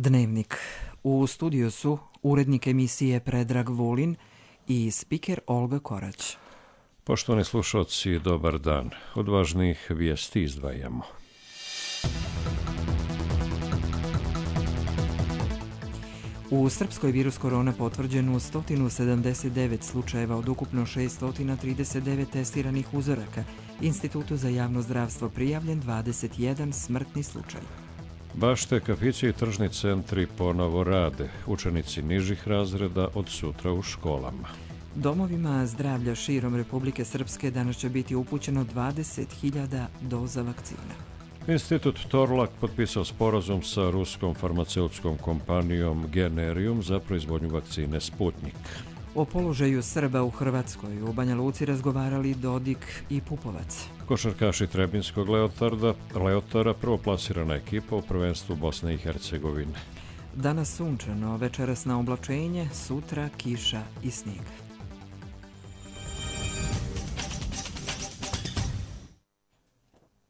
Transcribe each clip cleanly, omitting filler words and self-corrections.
Dnevnik. U studiju su urednik emisije Predrag Vulin i spiker Olga Korać. Poštovani slušalci, dobar dan. Od važnijih vijesti izdvajamo. U Srpskoj virus korona potvrđeno 179 slučajeva od ukupno 639 testiranih uzoraka. Institutu za javno zdravstvo prijavljen 21 smrtni slučaj. Bašte, kafići i tržni centri ponovo rade. Učenici nižih razreda od sutra u školama. Domovima zdravlja širom Republike Srpske danas će biti upućeno 20.000 doza vakcina. Institut Torlak potpisao sporazum sa ruskom farmaceutskom kompanijom Generium za proizvodnju vakcine Sputnik. O položaju Srba u Hrvatskoj u Banja Luci razgovarali Dodik i Pupovac. Košarkaši Trebinskog Leotara prvoplasirana ekipa u prvenstvu Bosne i Hercegovine. Danas sunčano, večeras na oblačenje, sutra kiša i snijeg.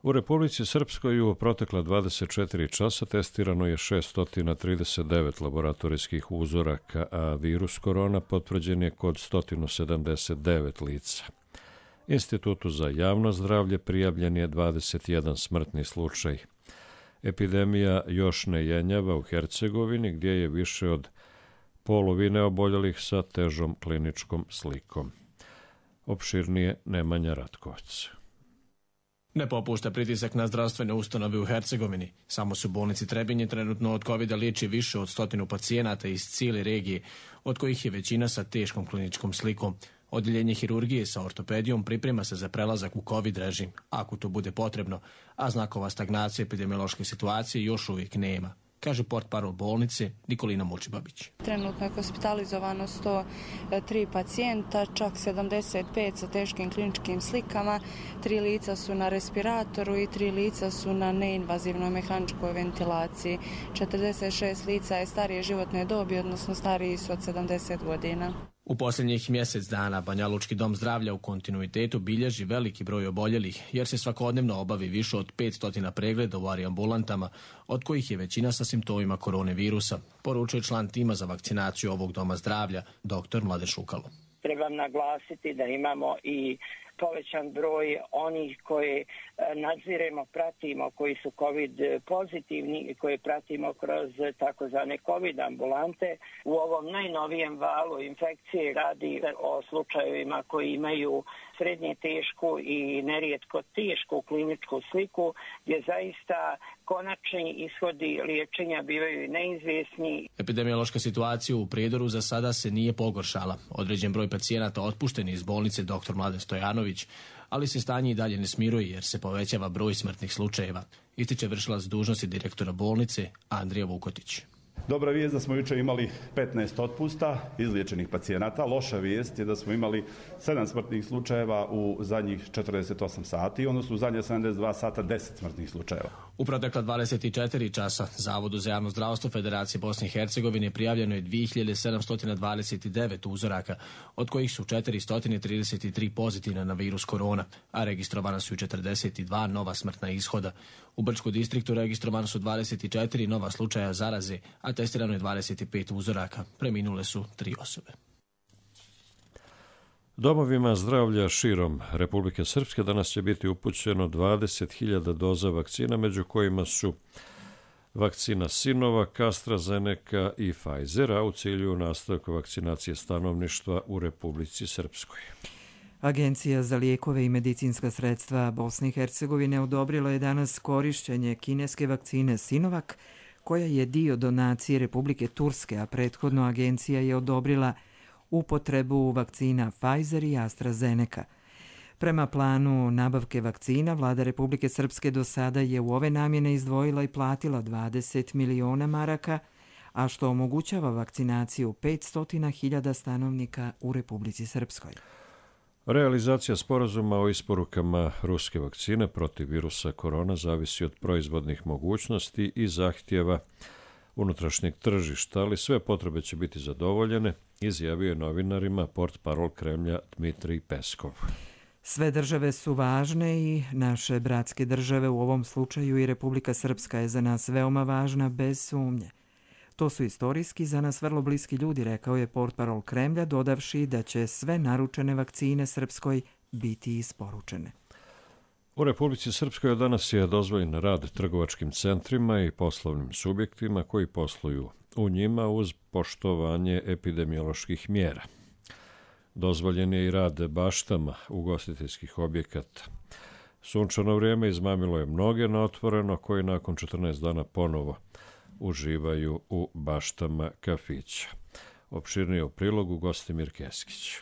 U Republici Srpskoj u protekla 24 časa testirano je 639 laboratorijskih uzoraka, a virus korona potvrđen je kod 179 lica. Institutu za javno zdravlje prijavljen je 21 smrtni slučaj. Epidemija još ne jenjava u Hercegovini, gdje je više od polovine oboljelih sa težom kliničkom slikom. Opširnije Nemanja Ratkovac. Ne popušta pritisak na zdravstvene ustanove u Hercegovini. Samo su bolnici Trebinje trenutno od COVID-a liječi više od 100 pacijenata iz cijele regije, od kojih je većina sa teškom kliničkom slikom. Odjeljenje hirurgije sa ortopedijom priprema se za prelazak u COVID režim, ako to bude potrebno, a znakova stagnacije epidemiološke situacije još uvijek nema, kaže portparol bolnice Nikolina Mučibabić. Trenutno je hospitalizovano 103 pacijenta, čak 75 sa teškim kliničkim slikama, 3 lica su na respiratoru i 3 lica su na neinvazivnoj mehaničkoj ventilaciji. 46 lica je starije životne dobi, odnosno stariji su od 70 godina. U posljednjih mjesec dana Banjalučki dom zdravlja u kontinuitetu bilježi veliki broj oboljelih, jer se svakodnevno obavi više od 500 pregleda u ambulantama, od kojih je većina sa simptomima koronavirusa, poručuje član tima za vakcinaciju ovog doma zdravlja, dr. Mladen Šukalo. Trebam naglasiti da imamo i povećan broj onih koje nadziremo, pratimo, koji su COVID pozitivni i koje pratimo kroz takozvane COVID ambulante. U ovom najnovijem valu infekcije radi o slučajevima koji imaju srednje tešku i nerijetko tešku kliničku sliku, gdje zaista konačni ishodi liječenja bivaju neizvjesni. Epidemiološka situacija u Prijedoru za sada se nije pogoršala. Određen broj pacijenata otpušten iz bolnice dr. Mladen Stojanović, ali se stanje i dalje ne smiruje jer se povećava broj smrtnih slučajeva, ističe vršilac dužnosti direktora bolnice Andrija Vukotić. Dobra vijest da smo jučer imali 15 otpusta izliječenih pacijenata. Loša vijest je da smo imali 7 smrtnih slučajeva u zadnjih 48 sati, odnosno u zadnje 72 sata 10 smrtnih slučajeva. U protekla 24 časa Zavodu za javno zdravstvo Federacije Bosne i Hercegovine prijavljeno je 2729 uzoraka, od kojih su 433 pozitivna na virus korona, a registrovana su 42 nova smrtna ishoda. U Brčkom distriktu registrovano su 24 nova slučaja zaraze, a testirano je 25 uzoraka. Preminule su 3 osobe. Domovima zdravlja širom Republike Srpske danas će biti upućeno 20.000 doza vakcina, među kojima su vakcina Sinovac, AstraZeneca i Pfizer, a u cilju nastavka vakcinacije stanovništva u Republici Srpskoj. Agencija za lijekove i medicinska sredstva Bosne i Hercegovine odobrila je danas korištenje kineske vakcine Sinovac, koja je dio donacije Republike Turske, a prethodno agencija je odobrila upotrebu vakcina Pfizer i AstraZeneca. Prema planu nabavke vakcina, vlada Republike Srpske do sada je u ove namjene izdvojila i platila 20 miliona maraka, a što omogućava vakcinaciju 500.000 stanovnika u Republici Srpskoj. Realizacija sporazuma o isporukama ruske vakcine protiv virusa korona zavisi od proizvodnih mogućnosti i zahtjeva unutrašnjeg tržišta, ali sve potrebe će biti zadovoljene, izjavio je novinarima portparol Kremlja Dmitrij Peskov. Sve države su važne i naše bratske države, u ovom slučaju i Republika Srpska, je za nas veoma važna bez sumnje. To su istorijski za nas vrlo bliski ljudi, rekao je portparol Kremlja, dodavši da će sve naručene vakcine Srpskoj biti isporučene. U Republici Srpskoj danas je dozvoljen rad trgovačkim centrima i poslovnim subjektima koji posluju u njima uz poštovanje epidemioloških mjera. Dozvoljen je i rad baštama ugostiteljskih objekata. Sunčano vrijeme izmamilo je mnoge na otvoreno koji nakon 14 dana ponovo uživaju u baštama kafića. Opširnije u prilogu Gostimir Keskić.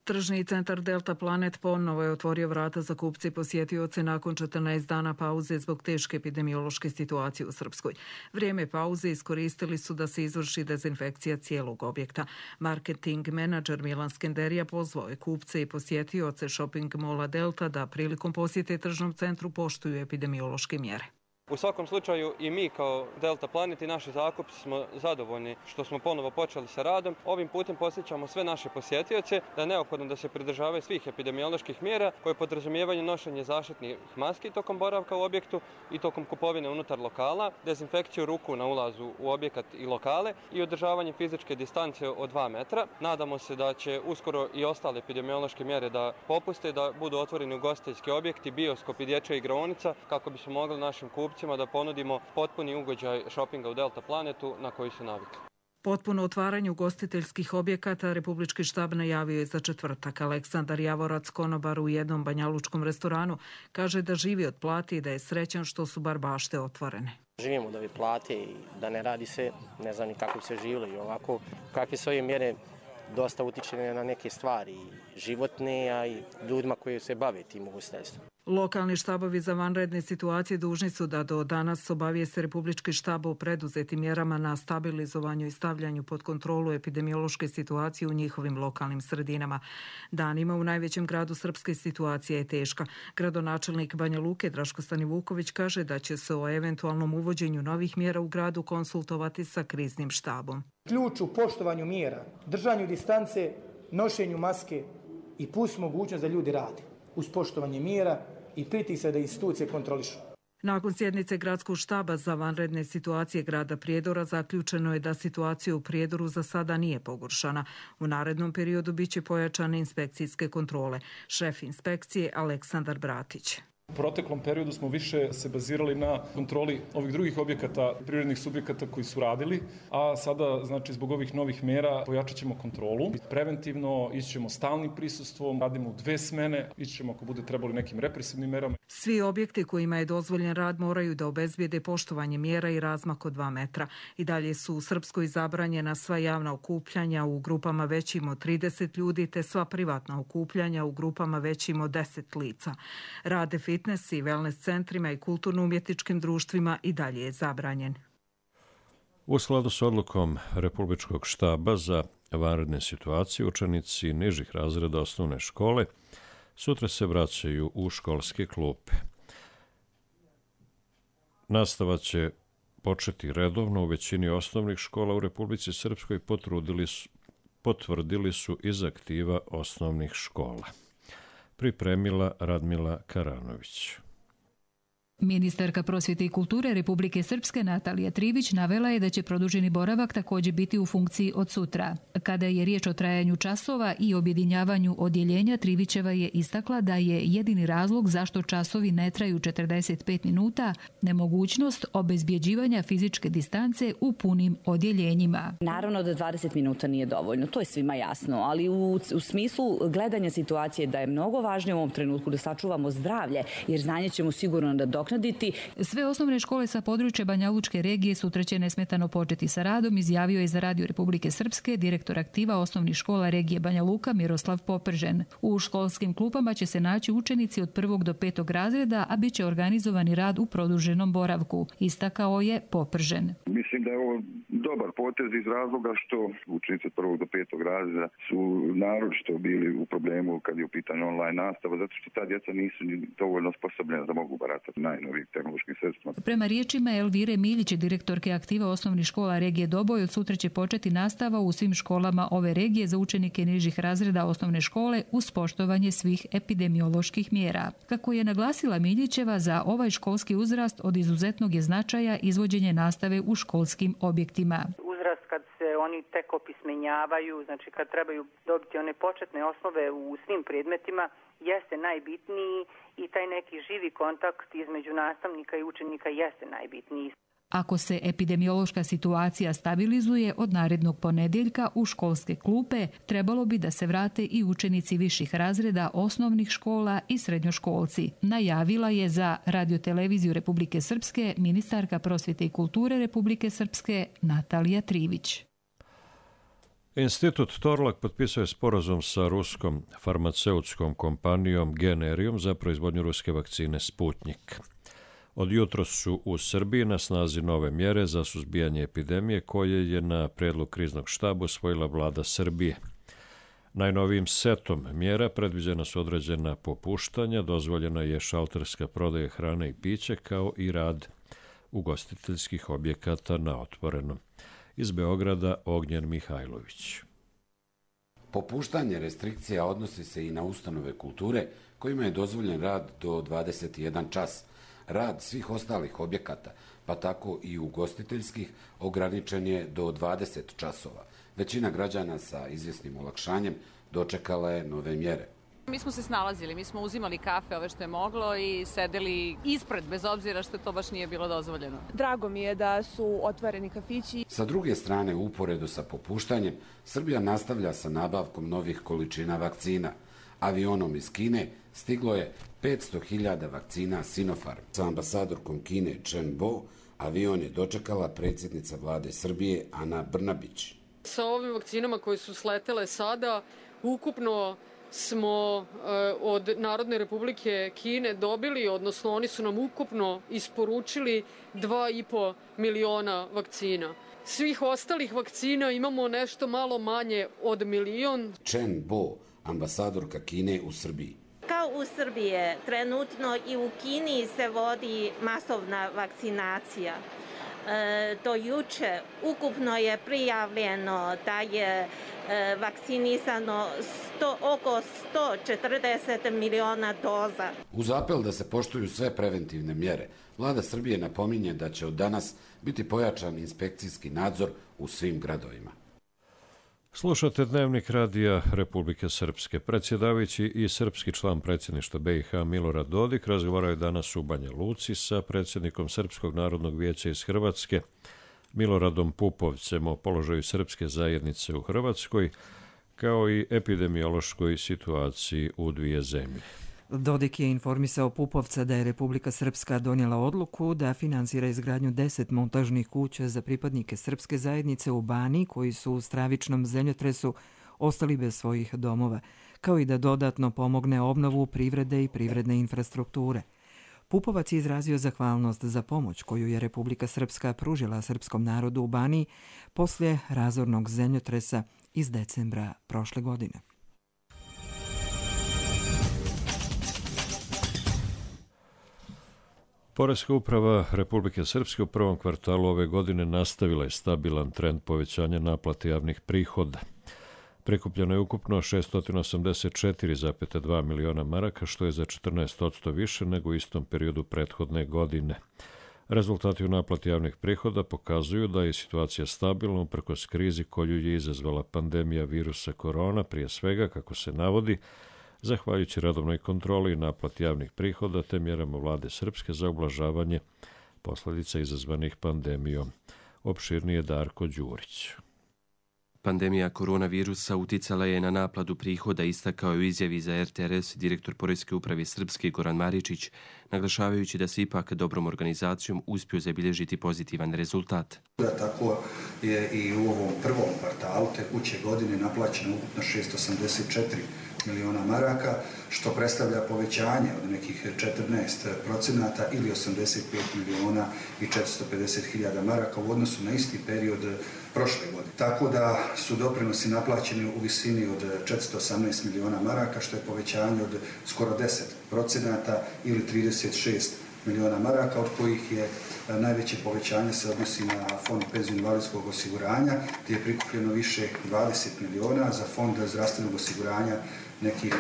Tržni centar Delta Planet ponovo je otvorio vrata za kupce i posjetioce nakon 14 dana pauze zbog teške epidemiološke situacije u Srpskoj. Vrijeme pauze iskoristili su da se izvrši dezinfekcija cijelog objekta. Marketing menadžer Milan Skenderija pozvao je kupce i posjetioce shopping mola Delta da prilikom posjete tržnom centru poštuju epidemiološke mjere. U svakom slučaju i mi kao Delta Planet i naši zakupci smo zadovoljni što smo ponovo počeli sa radom. Ovim putem podsjećamo sve naše posjetioce da je neophodno da se pridržavaju svih epidemioloških mjera koje podrazumijevaju nošenje zaštitnih maski tokom boravka u objektu i tokom kupovine unutar lokala, dezinfekciju ruku na ulazu u objekat i lokale i održavanje fizičke distance od 2 metra. Nadamo se da će uskoro i ostale epidemiološke mjere da popuste, da budu otvoreni ugostiteljski objekti, bioskop i dječja igraonica kako bismo mogli našim kupcima da ponudimo potpuni ugođaj šopinga u Delta Planetu na koji su navikli. Potpuno otvaranje ugostiteljskih objekata Republički štab najavio je za četvrtak. Aleksandar Javorac, konobar u jednom banjalučkom restoranu, kaže da živi od plate i da je srećan što su bar bašte otvorene. Živimo od ove plate i da ne radi se, ne znam ni kako bi se živjelo i ovako. Kakve su ove mjere dosta utiče na neke stvari životne, a i ljudima koji se bave tim ugostiteljstvom. Lokalni štabovi za vanredne situacije dužni su da do danas obavijeste Republički štab o preduzetim mjerama na stabilizovanju i stavljanju pod kontrolu epidemiološke situacije u njihovim lokalnim sredinama. Danima u najvećem gradu Srpske situacija je teška. Gradonačelnik Banja Luke Draško Stanivuković kaže da će se o eventualnom uvođenju novih mjera u gradu konsultovati sa kriznim štabom. Ključ u poštovanju mjera, držanju distance, nošenju maske i plus mogućnost da ljudi rade uz poštovanje mjera i pritisak da institucije kontrolišu. Nakon sjednice gradskog štaba za vanredne situacije grada Prijedora zaključeno je da situacija u Prijedoru za sada nije pogoršana. U narednom periodu biće pojačane inspekcijske kontrole. Šef inspekcije Aleksandar Bratić. U proteklom periodu smo više se bazirali na kontroli ovih drugih objekata, privrednih subjekata koji su radili, a sada, znači, zbog ovih novih mjera pojačat ćemo kontrolu. Preventivno ićemo stalnim prisustvom, radimo u 2 smene, ićemo ako bude trebali nekim represivnim merama. Svi objekti kojima je dozvoljen rad moraju da obezbijede poštovanje mjera i razmak od 2 metra. I dalje su u Srpskoj zabranjena sva javna okupljanja u grupama većim od 30 ljudi te sva privatna okupljanja u grupama većim od 10 lica. Rade fitness i wellness centrima i kulturno-umjetničkim društvima i dalje je zabranjen. U skladu s odlukom Republičkog štaba za vanredne situacije, učenici nižih razreda osnovne škole sutra se vraćaju u školske klupe. Nastava će početi redovno u većini osnovnih škola u Republici Srpskoj, potvrdili su iz aktiva osnovnih škola. Pripremila Radmila Karanović. Ministarka prosvjete i kulture Republike Srpske Natalija Trivić navela je da će produženi boravak također biti u funkciji od sutra. Kada je riječ o trajanju časova i objedinjavanju odjeljenja, Trivićeva je istakla da je jedini razlog zašto časovi ne traju 45 minuta nemogućnost obezbjeđivanja fizičke distance u punim odjeljenjima. Naravno da 20 minuta nije dovoljno, to je svima jasno, ali u smislu gledanja situacije da je mnogo važnije u ovom trenutku da sačuvamo zdravlje, jer znanje ćemo sigurno nadoknaditi. Sve osnovne škole sa područja Banjalučke regije sutra će nesmetano početi sa radom, izjavio je za Radio Republike Srpske direktor aktiva osnovnih škola regije Banja Luka Miroslav Popržen. U školskim klupama će se naći učenici od 1. do 5. razreda, a bit će organizovani rad u produženom boravku, istakao je Popržen. Mislim da je ovo dobar potez iz razloga što učenici od 1. do 5. razreda su naročito bili u problemu kad je u pitanju online nastava, zato što ta djeca nisu dovoljno osposobljena da mogu baratati na najnovijim tehnološkim sredstvima. Prema riječima Elvire Miljić, direktorke aktiva osnovnih škola regije Doboj, od sutra će početi nastava u svim školama ove regije za učenike nižih razreda osnovne škole uz poštovanje svih epidemioloških mjera. Kako je naglasila Miljićeva, za ovaj školski uzrast od izuzetnog je značaja izvođenje nastave u školskim objektima. Kad se oni tek opismenjavaju, znači kad trebaju dobiti one početne osnove u svim predmetima, jeste najbitniji i taj neki živi kontakt između nastavnika i učenika jeste najbitniji. Ako se epidemiološka situacija stabilizuje, od narednog ponedjeljka u školske klupe trebalo bi da se vrate i učenici viših razreda osnovnih škola i srednjoškolci. Najavila je za Radioteleviziju Republike Srpske ministarka prosvjete i kulture Republike Srpske Natalija Trivić. Institut Torlak potpisao je sporazum sa ruskom farmaceutskom kompanijom Generium za proizvodnju ruske vakcine Sputnik. Od jutros su u Srbiji na snazi nove mjere za suzbijanje epidemije koje je na predlog kriznog štaba usvojila vlada Srbije. Najnovijim setom mjera predviđena su određena popuštanja, dozvoljena je šalterska prodaja hrane i pića kao i rad ugostiteljskih objekata na otvorenom. Iz Beograda Ognjen Mihajlović. Popuštanje restrikcija odnosi se i na ustanove kulture kojima je dozvoljen rad do 21 čas. Rad svih ostalih objekata, pa tako i ugostiteljskih, ograničen je do 20 časova. Većina građana sa izvjesnim olakšanjem dočekala je nove mjere. Mi smo se snalazili, mi smo uzimali kafe ove što je moglo i sedeli ispred, bez obzira što to baš nije bilo dozvoljeno. Drago mi je da su otvoreni kafići. Sa druge strane, uporedo sa popuštanjem, Srbija nastavlja sa nabavkom novih količina vakcina. Avionom iz Kine stiglo je 500.000 vakcina Sinopharm. Sa ambasadorkom Kine Chen Bo avion je dočekala predsjednica vlade Srbije Ana Brnabić. Sa ovim vakcinama koje su sletele sada, ukupno smo od Narodne republike Kine dobili, odnosno oni su nam ukupno isporučili 2,5 miliona vakcina. Svih ostalih vakcina imamo nešto malo manje od 1 milion. Chen Bo, ambasadorka Kine u Srbiji. Kao u Srbiji, trenutno i u Kini se vodi masovna vakcinacija. Do juče ukupno je prijavljeno da je vakcinisano oko 140 miliona doza. Uz apel da se poštuju sve preventivne mjere, vlada Srbije napominje da će od danas biti pojačan inspekcijski nadzor u svim gradovima. Slušate Dnevnik radija Republike Srpske. Predsjedavajući i srpski član predsjedništva BiH Milorad Dodik razgovaraju danas u Banja Luci sa predsjednikom Srpskog narodnog vijeća iz Hrvatske Miloradom Pupovcem o položaju srpske zajednice u Hrvatskoj kao i epidemiološkoj situaciji u dvije zemlje. Dodik je informisao Pupovca da je Republika Srpska donijela odluku da finansira izgradnju 10 montažnih kuća za pripadnike srpske zajednice u Baniji koji su u stravičnom zemljotresu ostali bez svojih domova, kao i da dodatno pomogne obnovu privrede i privredne infrastrukture. Pupovac je izrazio zahvalnost za pomoć koju je Republika Srpska pružila srpskom narodu u Baniji poslije razornog zemljotresa iz decembra prošle godine. Poreska uprava Republike Srpske u prvom kvartalu ove godine nastavila je stabilan trend povećanja naplate javnih prihoda. Prikupljeno je ukupno 684,2 miliona maraka, što je za 14% više nego u istom periodu prethodne godine. Rezultati u naplati javnih prihoda pokazuju da je situacija stabilna uprkos krizi koju je izazvala pandemija virusa korona, prije svega, kako se navodi, zahvaljujući redovnoj kontroli i naplati javnih prihoda te mjerama vlade Srpske za ublažavanje posljedica izazvanih pandemijom. Opširnije Darko Đurić. Pandemija koronavirusa uticala je na naplatu prihoda, istakao je u izjavi za RTRS direktor Poreske uprave Srpske Goran Maričić, naglašavajući da se ipak dobrom organizacijom uspio zabilježiti pozitivan rezultat. Tako je i u ovom prvom kvartalu tekuće godine naplaćeno ukupno 684 miliona maraka, što predstavlja povećanje od nekih 14% ili 85 miliona i 450 hiljada maraka u odnosu na isti period prošle godine. Tako da su doprinosi naplaćeni u visini od 418 miliona maraka, što je povećanje od skoro 10% ili 36 miliona maraka, od kojih je najveće povećanje se odnosi na fond penzijsko-invalidskog osiguranja, gdje je prikupljeno više 20 miliona, za fond zdravstvenog osiguranja nekih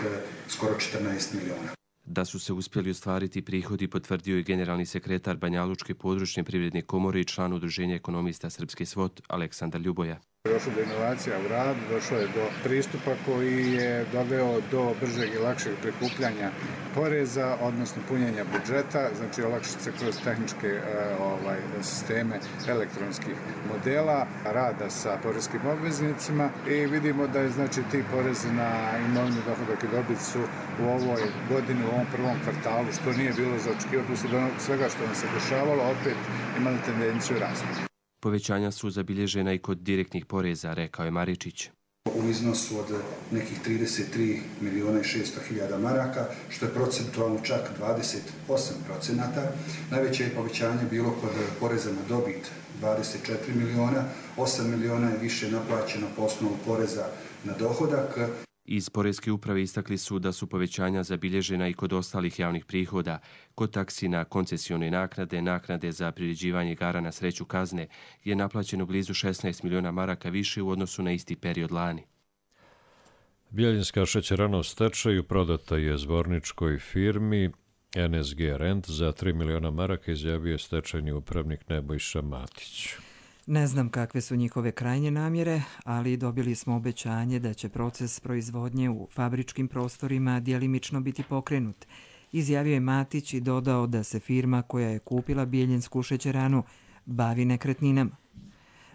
skoro 14 miliona. Da su se uspjeli ostvariti prihodi potvrdio je generalni sekretar Banjalučke područne privredne komore i član Udruženja ekonomista Srpski SWOT Aleksandar Ljuboja. Došlo do inovacija u radu, došlo je do pristupa koji je doveo do bržeg i lakšeg prikupljanja poreza, odnosno punjenja budžeta, znači olakšice kroz tehničke sisteme elektronskih modela, rada sa poreskim obveznicima i vidimo da je znači ti porezi na imovinu, dohodak i dobit su u ovoj godini, u ovom prvom kvartalu, što nije bilo za očekivati, uslijed svega što nam se dešavalo, opet imali tendenciju rasta. Povećanja su zabilježena i kod direktnih poreza, rekao je Maričić. U iznosu od nekih 33 miliona i 600 hiljada maraka, što je procentualno čak 28%. Najveće je povećanje bilo kod poreza na dobit 24 miliona, 8 miliona je više naplaćeno po osnovu poreza na dohodak. Iz Poreske uprave istakli su da su povećanja zabilježena i kod ostalih javnih prihoda, kod taksi na koncesione naknade, naknade za priređivanje igara na sreću kazne, je naplaćeno blizu 16 miliona maraka više u odnosu na isti period lani. Bjeljinska šećerana u stečaju prodata je zborničkoj firmi NSG Rent za 3 miliona maraka, izjavio je stečajni upravnik Nebojša Matić. Ne znam kakve su njihove krajnje namjere, ali dobili smo obećanje da će proces proizvodnje u fabričkim prostorima djelimično biti pokrenut. Izjavio je Matić i dodao da se firma koja je kupila Bjeljinsku šećeranu bavi nekretninama.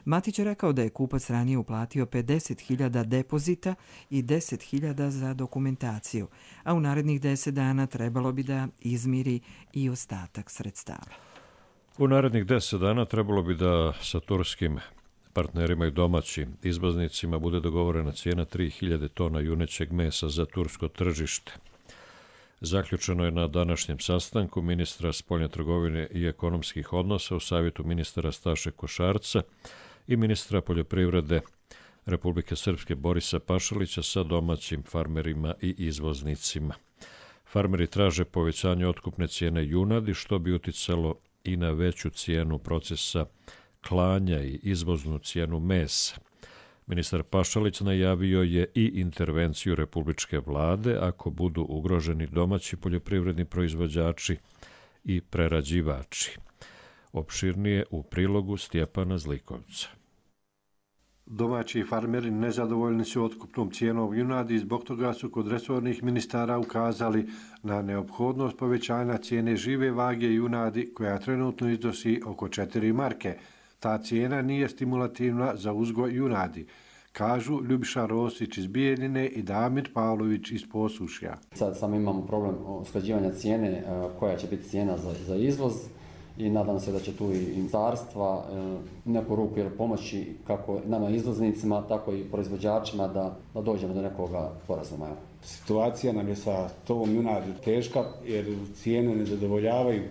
Matić je rekao da je kupac ranije uplatio 50.000 depozita i 10.000 za dokumentaciju, a u narednih 10 dana trebalo bi da izmiri i ostatak sredstava. U narednih 10 dana trebalo bi da sa turskim partnerima i domaćim izvoznicima bude dogovorena cijena 3.000 tona junećeg mesa za tursko tržište. Zaključeno je na današnjem sastanku ministra spoljne trgovine i ekonomskih odnosa u savjetu ministara Staše Košarca i ministra poljoprivrede Republike Srpske Borisa Pašalića sa domaćim farmerima i izvoznicima. Farmeri traže povećanje otkupne cijene junadi, što bi uticalo i na veću cijenu procesa klanja i izvoznu cijenu mesa. Ministar Pašalić najavio je i intervenciju republičke vlade ako budu ugroženi domaći poljoprivredni proizvođači i prerađivači. Opširnije u prilogu Stjepana Zlikovca. Domaći farmeri nezadovoljni su otkupnom cijenom junadi i zbog toga su kod resornih ministara ukazali na neophodnost povećanja cijene žive vage junadi koja trenutno iznosi oko 4 marke. Ta cijena nije stimulativna za uzgoj junadi, kažu Ljubiša Rosić iz Bijeljine i Damir Pavlović iz Posušja. Sad samo imamo problem usklađivanja cijene, koja će biti cijena za izvoz. I nadam se da će tu i ministarstva neku ruku pomoći kako nama izvoznicima, tako i proizvođačima da dođemo do nekoga sporazuma. Situacija nam je sa tovom junadi teška jer cijene ne zadovoljavaju.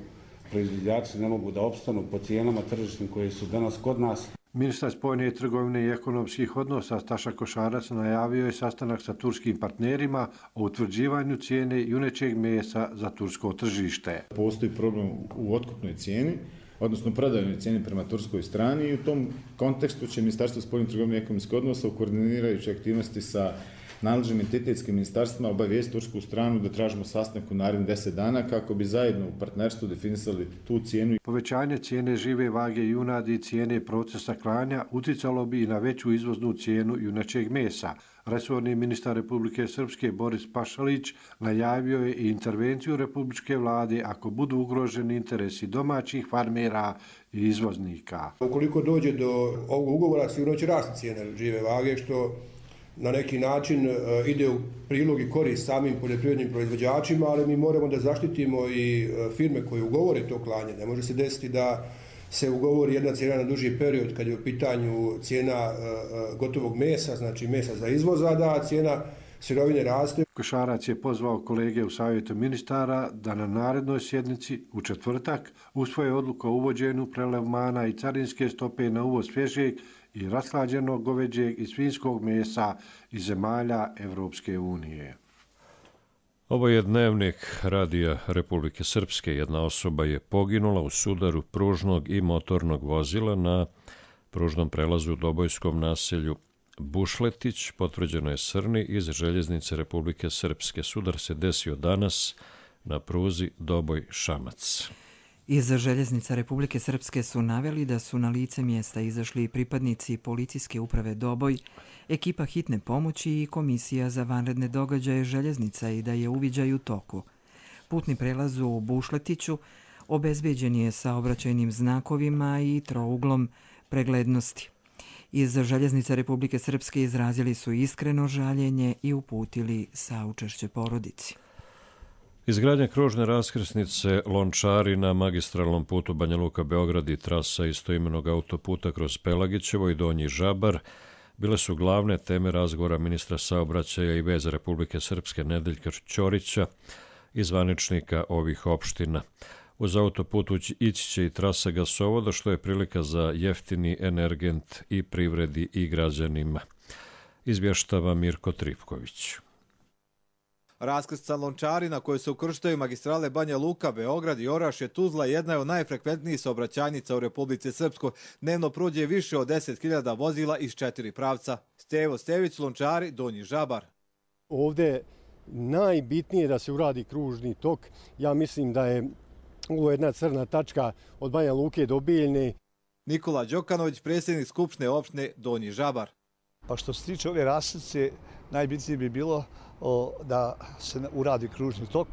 Proizvođači ne mogu da opstanu po cijenama tržišnim koje su danas kod nas. Ministar spoljne trgovine i ekonomskih odnosa Staša Košarac najavio je sastanak sa turskim partnerima o utvrđivanju cijene junećeg mesa za tursko tržište. Postoji problem u otkupnoj cijeni, odnosno prodajnoj cijeni prema turskoj strani i u tom kontekstu će Ministarstvo spoljne trgovine i ekonomskih odnosa u koordinirajući aktivnosti sa nadležnim entitetskim ministarstvima obavijesti tursku stranu da tražimo sastanak u narednih 10 dana kako bi zajedno u partnerstvu definisali tu cijenu. Povećanje cijene žive vage junadi i cijene procesa klanja uticalo bi i na veću izvoznu cijenu junećeg mesa. Resorni ministar Republike Srpske Boris Pašalić najavio je i intervenciju republičke vlade ako budu ugroženi interesi domaćih farmera i izvoznika. Ukoliko dođe do ovog ugovora, sigurno će rasti cijene žive vage, što na neki način ide u prilog i korist samim poljoprivrednim proizvođačima, ali mi moramo da zaštitimo i firme koje ugovore to klanje. Ne može se desiti da se ugovori jedna cijena na duži period kad je u pitanju cijena gotovog mesa, znači mesa za izvoz, a da cijena sirovine raste. Košarac je pozvao kolege u savjetu ministara da na narednoj sjednici u četvrtak usvoje odluku o uvođenju prelevmana i carinske stope na uvoz svježeg i rashlađenog goveđeg i svinjskog mesa iz zemalja Evropske unije. Ovo je dnevnik Radija Republike Srpske. Jedna osoba je poginula u sudaru pružnog i motornog vozila na pružnom prelazu u Dobojskom naselju Bušletić, potvrđeno je Srni iz Željeznice Republike Srpske. Sudar se desio danas na pruzi Doboj-Šamac. Iz Željeznica Republike Srpske su naveli da su na lice mjesta izašli pripadnici policijske uprave Doboj, ekipa hitne pomoći i komisija za vanredne događaje željeznica i da je uviđaj u toku. Putni prelaz u Bušletiću obezbeđen je saobraćajnim znakovima i trouglom preglednosti. Iz Željeznica Republike Srpske izrazili su iskreno žaljenje i uputili saučešće porodici. Izgradnja kružne raskrsnice Lončari na magistralnom putu Banja Luka-Beograd i trasa istoimenog autoputa kroz Pelagićevo i Donji Žabar bile su glavne teme razgovora ministra saobraćaja i veza Republike Srpske Nedeljka Ćorića i zvaničnika ovih opština. Uz autoput ići će i trasa gasovoda, što je prilika za jeftini energent i privredi i građanima. Izvještava Mirko Tripković. Raskrsnica Lončari na kojoj se ukrštaju magistrale Banja Luka, Beograd i Orašje, Tuzla jedna je od najfrekventnijih saobraćajnica u Republici Srpskoj. Dnevno prođe više od 10.000 vozila iz 4 pravca. Stevo Stević, Lončari, Donji Žabar. Ovdje je najbitnije da se uradi kružni tok. Ja mislim da je ovo jedna crna tačka od Banja Luke do Bijeljne. Nikola Đokanović, predsjednik Skupštine opštine Donji Žabar. Pa što se tiče ove raskrsnice, najbitnije bi bilo da se uradi kružni tok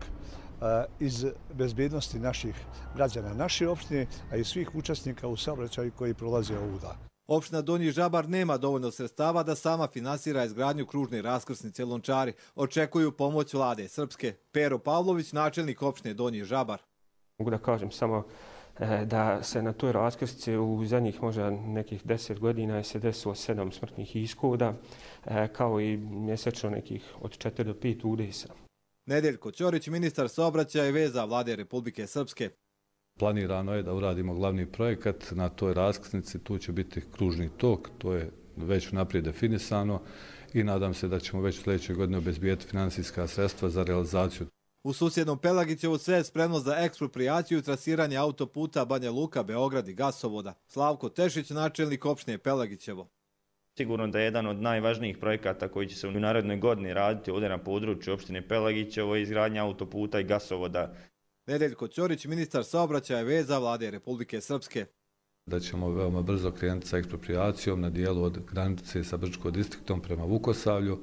iz bezbednosti naših građana naše opštine, a i svih učesnika u saobraćaju koji prolaze ovuda. Opština Donji Žabar nema dovoljno sredstava da sama finansira izgradnju kružne raskrsnice Lončari. Očekuju pomoć vlade Srpske. Pero Pavlović, načelnik opštine Donji Žabar. Mogu da kažem samo da se na toj raskrsnici u zadnjih možda nekih 10 godina se desilo 7 smrtnih ishoda, kao i mjesečno nekih od 4 do 5 udesa. Nedeljko Ćorić, ministar saobraćaja i veza vlade Republike Srpske. Planirano je da uradimo glavni projekat na toj raskrsnici, tu će biti kružni tok, to je već naprijed definisano i nadam se da ćemo već sljedeće godine obezbijeti finansijska sredstva za realizaciju. U susjednom Pelagićevu sve je spremno za eksproprijaciju i trasiranje autoputa Banja Luka, Beograd i gasovoda. Slavko Tešić, načelnik opštine Pelagićevo. Sigurno da je jedan od najvažnijih projekata koji će se u narednoj godini raditi ovdje na području opštine Pelagićevo je izgradnja autoputa i gasovoda. Nedeljko Ćorić, ministar saobraćaja i veza vlade Republike Srpske. Da ćemo veoma brzo krenuti sa eksproprijacijom na dijelu od granice sa Brčkom distriktom prema Vukosavlju.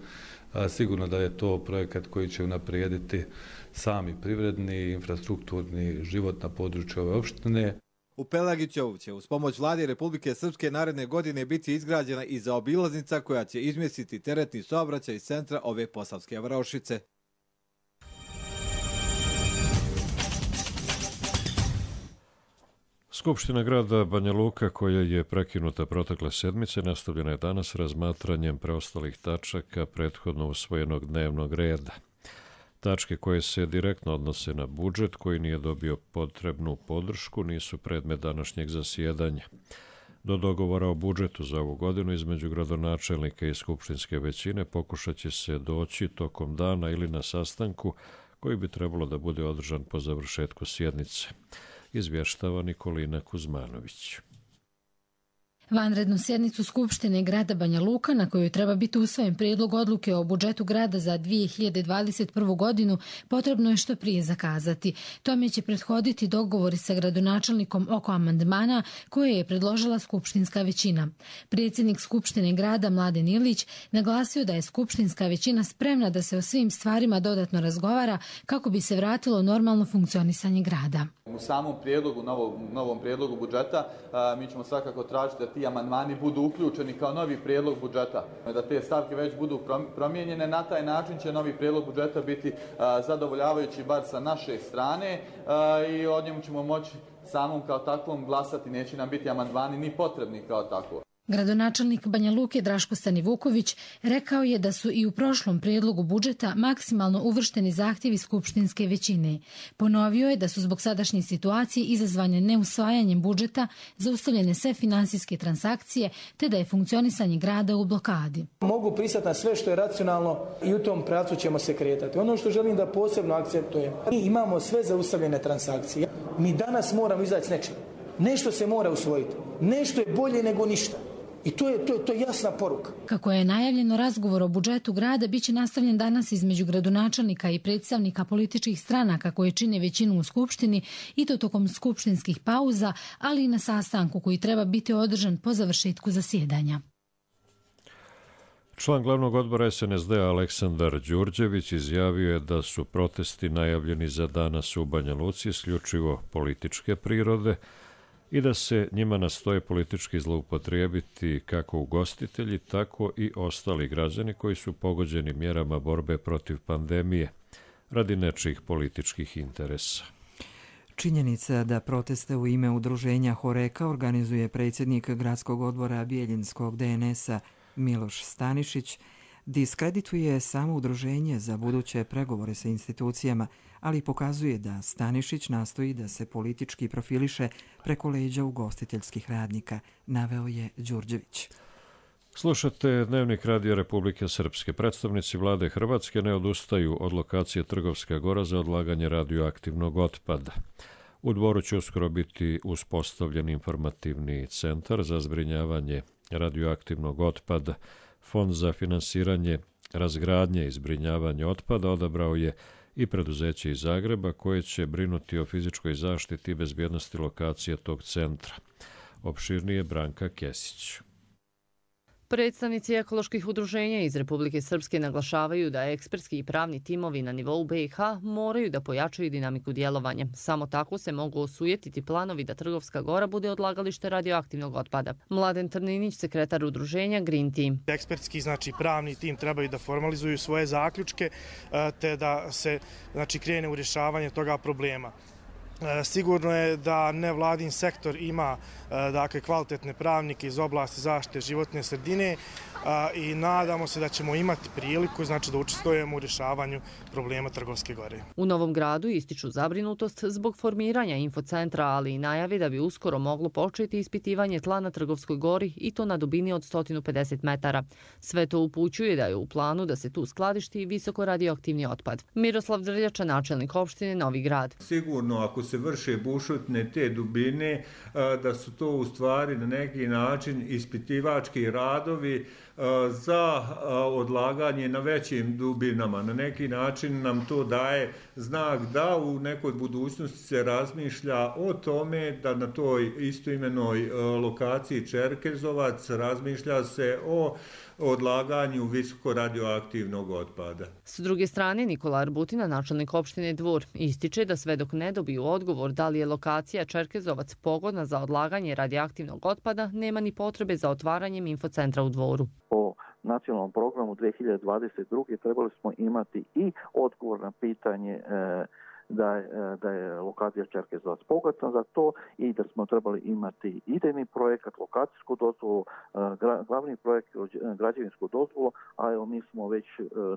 Sigurno da je to projekat koji će unaprijediti sami privredni i infrastrukturni život na području ove opštine. U Pelagićevu će uz pomoć vlade Republike Srpske naredne godine biti izgrađena i zaobilaznica koja će izmjestiti teretni saobraćaj iz centra ove posavske varošice. Skupština grada Banja Luka, koja je prekinuta protekle sedmice, nastavljena je danas razmatranjem preostalih tačaka prethodno usvojenog dnevnog reda. Tačke koje se direktno odnose na budžet, koji nije dobio potrebnu podršku, nisu predmet današnjeg zasjedanja. Do dogovora o budžetu za ovu godinu između gradonačelnika i skupštinske većine pokušat će se doći tokom dana ili na sastanku koji bi trebalo da bude održan po završetku sjednice. Izvještava Nikolina Kuzmanović. Vanrednu sjednicu Skupštine grada Banja Luka, na kojoj treba biti usvojen prijedlog odluke o budžetu grada za 2021. godinu, potrebno je što prije zakazati. Tome će prethoditi dogovori sa gradonačelnikom oko amandmana koje je predložila skupštinska većina. Predsjednik Skupštine grada Mladen Ilić naglasio da je skupštinska većina spremna da se o svim stvarima dodatno razgovara kako bi se vratilo normalno funkcionisanje grada. U samom prijedlogu, novom prijedlogu budžeta, mi ćemo svakako tražiti da ti amandmani budu uključeni kao novi prijedlog budžeta, da te stavke već budu promijenjene. Na taj način će novi prijedlog budžeta biti zadovoljavajući bar sa naše strane i od njemu ćemo moći samom kao takvom glasati, neće nam biti amandmani ni potrebni kao tako. Gradonačelnik Banja Luke Draško Stanivuković rekao je da su i u prošlom prijedlogu budžeta maksimalno uvršteni zahtjevi skupštinske većine. Ponovio je da su zbog sadašnje situacije izazvane neusvajanjem budžeta zaustavljene sve finansijske transakcije, te da je funkcionisanje grada u blokadi. Mogu pristati na sve što je racionalno i u tom pravcu ćemo se kretati. Ono što želim da posebno akcentujem, mi imamo sve zaustavljene transakcije. Mi danas moramo izaći s nečim. Nešto se mora usvojiti. Nešto je bolje nego ništa. I to je jasna poruka. Kako je najavljeno, razgovor o budžetu grada biće nastavljen danas između gradonačelnika i predstavnika političkih stranaka koje čine većinu u Skupštini, i to tokom skupštinskih pauza, ali i na sastanku koji treba biti održan po završetku zasjedanja. Član glavnog odbora SNSD-a Aleksandar Đurđević izjavio je da su protesti najavljeni za danas u Banja Luci isključivo političke prirode i da se njima nastoje politički zloupotrijebiti kako ugostitelji, tako i ostali građani koji su pogođeni mjerama borbe protiv pandemije radi nečijih političkih interesa. Činjenica da proteste u ime udruženja Horeka organizuje predsjednik gradskog odbora Bijeljinskog DNS-a Miloš Stanišić diskredituje samo udruženje za buduće pregovore sa institucijama, ali pokazuje da Stanišić nastoji da se politički profiliše preko leđa ugostiteljskih radnika, naveo je Đurđević. Slušate Dnevnik Radio Republike Srpske. Predstavnici vlade Hrvatske ne odustaju od lokacije Trgovska Gora za odlaganje radioaktivnog otpada. U Dvoru će uskoro biti uspostavljen informativni centar za zbrinjavanje radioaktivnog otpada. Fond za finansiranje razgradnje i zbrinjavanje otpada odabrao je i preduzeće iz Zagreba koje će brinuti o fizičkoj zaštiti i bezbjednosti lokacije tog centra. Opširnije Branka Kesić. Predstavnici ekoloških udruženja iz Republike Srpske naglašavaju da ekspertski i pravni timovi na nivou BiH moraju da pojačaju dinamiku djelovanja. Samo tako se mogu osujetiti planovi da Trgovska Gora bude odlagalište radioaktivnog otpada. Mladen Trninić, sekretar udruženja Green Team. Ekspertski, pravni tim trebaju da formalizuju svoje zaključke te da se krene u rješavanje toga problema. Sigurno je da nevladin sektor ima kvalitetne pravnike iz oblasti zaštite životne sredine i nadamo se da ćemo imati priliku da učestvujemo u rješavanju problema Trgovske Gore. U Novom Gradu ističu zabrinutost zbog formiranja infocentra, ali i najavi da bi uskoro moglo početi ispitivanje tla na Trgovskoj Gori i to na dubini od 150 metara. Sve to upućuje da je u planu da se tu skladišti visoko radioaktivni otpad. Miroslav Drljača, načelnik opštine Novi Grad. Sigurno ako se vrše bušotine te dubine, da su to u stvari na neki način ispitivački radovi za odlaganje na većim dubinama. Na neki način nam to daje znak da u nekoj budućnosti se razmišlja o tome da na toj istoimenoj lokaciji Čerkezovac razmišlja se o odlaganju visoko radioaktivnog otpada. S druge strane, Nikola Arbutina, načelnik opštine Dvor, ističe da sve dok ne dobiju odgovor da li je lokacija Čerkezovac pogodna za odlaganje radioaktivnog otpada, nema ni potrebe za otvaranjem infocentra u Dvoru. Po nacionalnom programu 2022. trebali smo imati i odgovor na pitanje da je lokacija Čerkezovac pogodna za to i da smo trebali imati idejni projekat, lokacijsku dozvolu, glavni projekt, građevinsku dozvolu, a evo mi smo već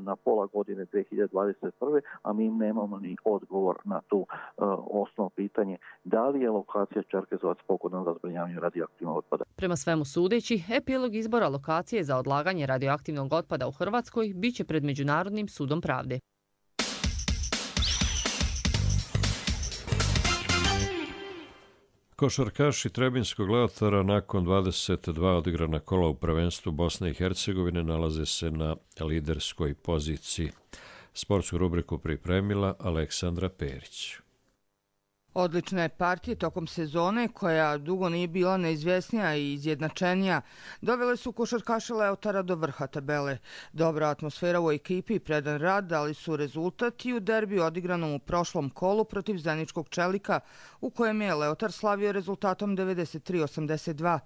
na pola godine 2021. a mi nemamo ni odgovor na tu osnovno pitanje da li je lokacija Čerkezovac pogodna za zbrinjavanje radioaktivnog otpada. Prema svemu sudeći, epilog izbora lokacije za odlaganje radioaktivnog otpada u Hrvatskoj biće pred Međunarodnim sudom pravde. Košarkaši Trebinskog Leotara nakon 22 odigrana kola u prvenstvu Bosne i Hercegovine nalaze se na liderskoj poziciji. Sportsku rubriku pripremila Aleksandra Perić. Odlične partije tokom sezone, koja dugo nije bila neizvjesnija i izjednačenija, dovele su košarkaše Leotara do vrha tabele. Dobra atmosfera u ekipi i predan rad dali su rezultat i u derbiju odigranom u prošlom kolu protiv Zeničkog Čelika, u kojem je Leotar slavio rezultatom 93-82.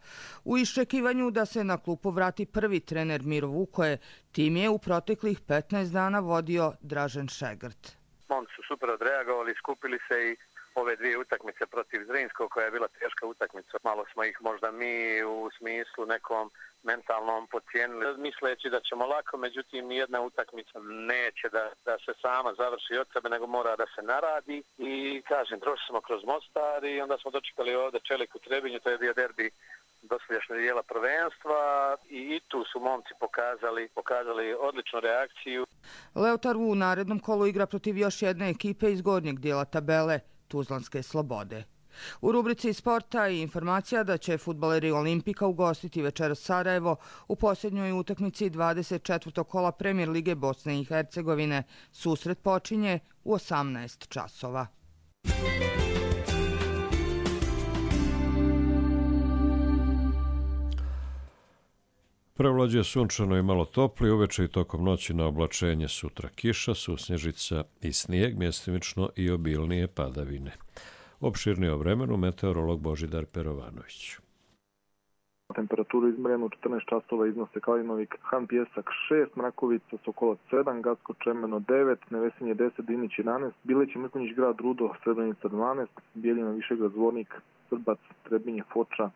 U iščekivanju da se na klupu vrati prvi trener Miro Vukoje, tim je u proteklih 15 dana vodio Dražen Šegrt. Momci su super odreagovali, skupili se i ove dvije utakmice protiv Zrinskog, koja je bila teška utakmica. Malo smo ih možda mi u smislu nekom mentalnom podcijenili, misleći da ćemo lako, međutim nijedna utakmica neće da se sama završi od sebe, nego mora da se naradi. I kažem, prošli smo kroz Mostar i onda smo dočekali ovdje Čelik u Trebinju, to je bio derbi dosadašnjeg dijela prvenstva i tu su momci pokazali odličnu reakciju. Leotar u narednom kolu igra protiv još jedne ekipe iz gornjeg dijela tabele, Tuzlanske Slobode. U rubrici sporta i informacija da će fudbaleri Olimpika ugostiti večeras Sarajevo u posljednjoj utakmici 24. kola Premijer Lige Bosne i Hercegovine. Susret počinje u 18 časova. Prevlađuje sunčano i malo topli, uveče i tokom noći na oblačenje, sutra kiša, susnježica i snijeg, mjestimično i obilnije padavine. Opširnije o vremenu meteorolog Božidar Perovanović. Temperaturu izmjerenu 14 časova iznose Kalinovik, Han Pjesak 6, Mrakovica, Sokolac 7, Gacko Čemeno 9, Nevesinje 10, Dinić 11, Bilić i Mrkonjić grad Rudo, Srebrenica 12, Bijeljina Višegrad Zvornik, Srbac, Trebinje, Foča,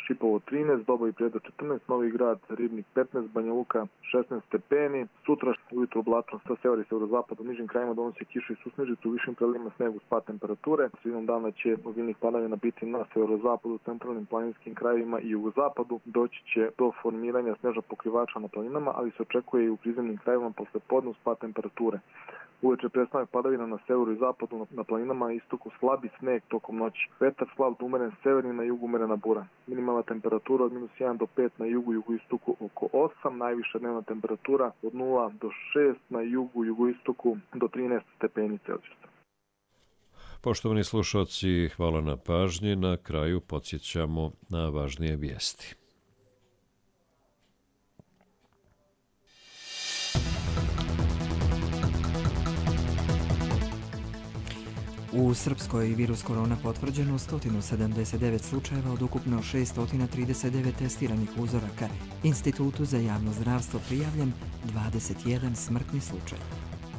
Šipovo 13, Dobo i Prijedo 14, Novi grad, Ribnik 15, Banja Luka 16 stepeni. Sutra ujutro oblačno sa severa i severozapad u nižim krajima donosi kišu i susnežicu, u višim predelima snegu, spad temperature. Sredinom dana će obilnih padavina biti na severozapadu, centralnim planinskim krajevima i jugozapadu. Doći će do formiranja snežnog pokrivača na planinama, ali se očekuje i u prizemnim krajevima posle podne spad temperature. Uveče prestanak padavina na severu i zapadu, na planinama i istoku slabi sneg tokom noći. Vetar slab do umeren severni, na jugu umerena bura. Minimalna temperatura od -1 do 5 na jugu, jugoistoku oko 8, najviša dnevna temperatura od 0 do 6 na jugu, jugoistoku do 13 stepeni Celzijusa. Poštovani slušalci, hvala na pažnji. Na kraju podsjećamo na važnije vijesti. U Srpskoj virus korona potvrđeno 179 slučajeva od ukupno 639 testiranih uzoraka. Institutu za javno zdravstvo prijavljen 21 smrtni slučaj.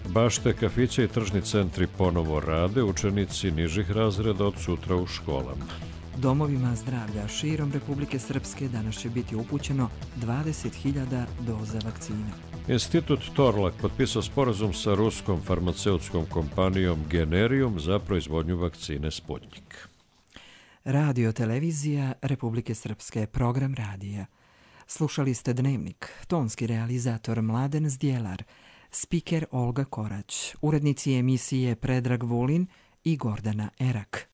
Bašte, kafiće i tržni centri ponovo rade, učenici nižih razreda od sutra u školama. Domovima zdravlja širom Republike Srpske danas će biti upućeno 20.000 doza vakcina. Institut Torlak potpisao sporazum sa ruskom farmaceutskom kompanijom Generium za proizvodnju vakcine Sputnik. Radio televizija Republike Srpske, program radija. Slušali ste Dnevnik, tonski realizator Mladen Zdjelar, spiker Olga Korać, urednici emisije Predrag Vulin i Gordana Erak.